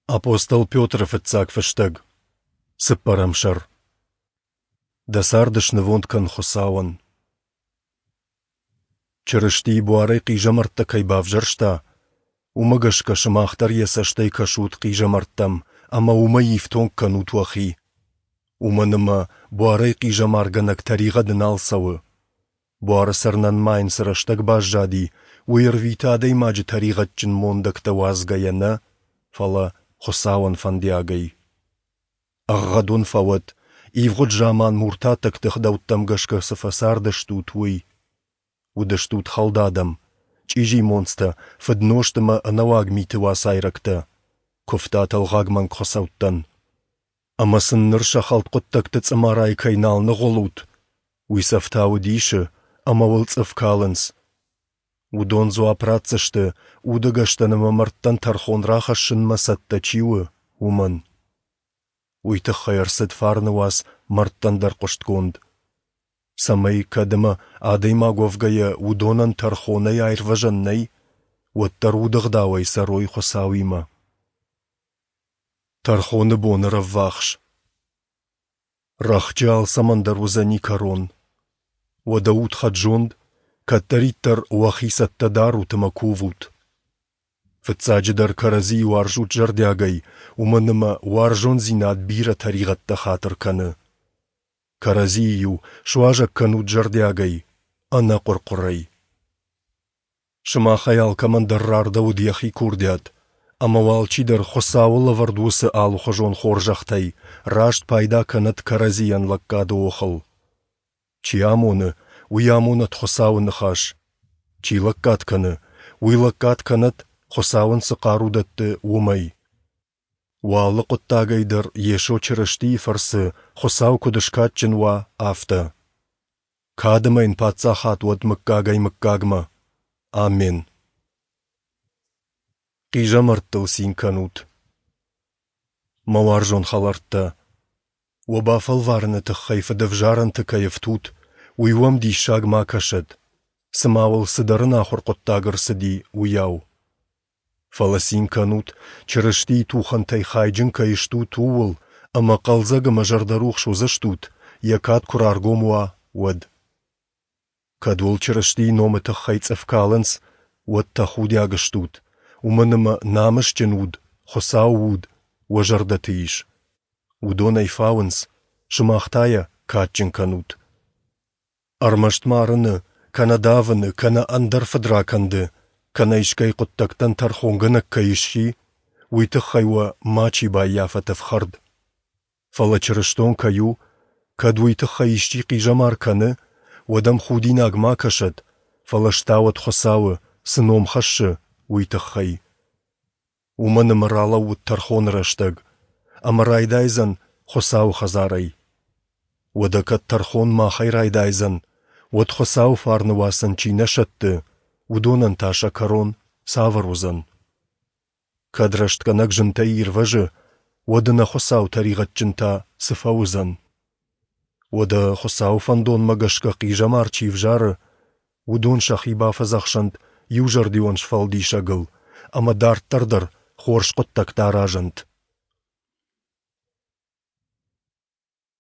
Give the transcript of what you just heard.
Апостол Петры фыццаг фыстӕг, цыппӕрӕм сӕр. Дӕ цард снывонд кӕн Хуыцауӕн. Чырыстийы буарӕй хъизӕмӕрттӕ кӕй бавзӕрста, уымӕ гӕсгӕ сымах дӕр йӕ цӕстӕй кӕсут хъизӕмӕрттӕм ӕмӕ уымӕй ифтонг кӕнут уӕхи. Уымӕн ӕмӕ буарӕй хъизӕмаргӕнӕг тӕригъӕды нал цӕуы. Буары цӕрынӕн ма йын цы рӕстӕг баззади, уый ӕрвиты адӕймаджы тӕригъӕдджын мондӕгтӕ уадзгӕйӕ нӕ, фӕлӕ Хуыцауӕн фӕндиагӕй. Ӕгъгъӕд уын фӕуӕд, ивгъуыд заман муртаттӕгты ӕгъдӕуттӕм гӕсгӕ цы фӕцардыстут, уый. Уыдыстут хӕлд адӕм, чъизи монцтӕ, фыднозт ӕмӕ ӕнӕуаг миты уацайрӕгтӕ, куывтат ӕлгъаг мӕнгхуыцӕуттӕн. Ӕмӕ сын ныр сӕ хӕлд хъуыддӕгты цъымарайы кӕй нал ныгъуылут, уый сӕ ӕфтауы дисы ӕмӕ уыл цъыф калынц. Уыдон дзуапп ратдзысты, удӕгӕстӕн ӕмӕ мӕрдтӕн тӕрхон рахӕссынмӕ цӕттӕ чи у, уымӕн. Уый тыххӕй ӕрцыд фарны уац мӕрдтӕн дӕр хъуыстгонд, цӕмӕй, кӕд ӕмӕ адӕймаг уӕвгӕйӕ уыдонӕн тӕрхонӕй аирвӕзӕн нӕй, уӕддӕр удыгъдауӕй цӕрой Хуыцауимӕ. Тӕрхоны бон ӕрӕввахс. Рӕхджы алцӕмӕн дӕр уыдзӕни кӕрон. Уӕдӕ ут хӕд-зонд, кӕддӕриддӕр уӕхи цӕттӕ дарут ӕмӕ кувут. Фыццаджыдӕр кӕрӕдзийы уарзут зӕрдиагӕй, уымӕн ӕмӕ уарзондзинад бирӕ тӕригъӕдтӕ хатыр кӕны. Кӕрӕдзийы-иу суазӕг кӕнут зӕрдиагӕй, ӕнӕ хъуыр-хъуырӕй. Сымахӕй алкӕмӕн дӕр рардӕуыд йӕхи курдиат, ӕмӕ уӕ алчидӕр Хуыцауы лӕвӕрд уыцы алыхуызон хорзӕхтӕй раст пайда кӕнӕд кӕрӕдзийӕн лӕггады охыл. Чи амоны, уый амонӕд Хуыцауы ныхас, чи лӕггад кӕны, уый лӕггад кӕнӕд, Хуыцау ын цы хъару дӕтты, уымӕй. Уӕ алы хъуыддагӕй дӕр Йесо Чырыстийы фӕрцы Хуыцау куыд скадджын уа, афтӕ. Кад ӕмӕ йын паддзахад уӕд мыггагӕй-мыггагмӕ. Аммен. Хъизӕмӕрттыл цин кӕнут. Мӕ уарзон хӕлӕрттӕ, уӕ бафӕлварыны тыххӕй фыдӕвзарӕнты кӕй ӕфтут, уый уӕм диссаг ма кӕсӕд, цыма уыл цыдӕр ӕнахуыр хъуыддаг ӕрцыди, уыйау. Фӕлӕ цин кӕнут, Чырыстийы тухӕнтӕй хайджын кӕй стут, ууыл, ӕмӕ хъӕлдзӕг ӕмӕ зӕрдӕрухс уыдзыстут, йӕ кад куы раргом уа, уӕд. Кӕд уыл Чырыстийы номы тыххӕй цъыф калынц, уӕд тӕхудиаг стут, уымӕн ӕмӕ намысджын уд, Хуыцауы уд, уӕ зӕрдӕты ис. Уыдон ӕй фауынц, сымах та йӕ кадджын кӕнут. Ӕрмӕст марыны, кӕнӕ давыны, кӕнӕ ӕндӕр фыдракӕнды, кӕнӕ искӕй хъуыддӕгтӕн тӕрхонгӕнӕг кӕй сси, уый тыххӕй уӕ мачи баййафӕт ӕфхӕрд. Фӕлӕ чырыстон кӕй у, кӕд уый тыххӕй исчи хъизӕмар кӕны, уӕд ӕм худинаг ма кӕсӕд, фӕлӕ стауӕд Хуыцауы, цы ном хӕссы, уый тыххӕй. Уымӕн ӕмӕ ралӕууыд тӕрхоны рӕстӕг, ӕмӕ райдайдзӕн Хуыцауы хӕдзарӕй. Уӕдӕ кӕд тӕрхон махӕй райдайдзӕн, уӕд Хуыцауы фарны уацӕн чи нӕ сӕтты, уыдонӕн та сӕ кӕрон цавӕр уыдзӕн? Кӕд рӕстгӕнӕг зынтӕй ирвӕзы, уӕд ӕнӕхуыцау тӕригъӕдджын та цы фӕуыдзӕн? Уӕдӕ Хуыцауы фӕндонмӕ гӕсгӕ хъизӕмар чи взары, уыдон сӕхи бафӕдзӕхсӕнт иузӕрдион Сфӕлдисӕгыл ӕмӕ дарддӕр дӕр хорз хъуыддӕгтӕ аразӕнт.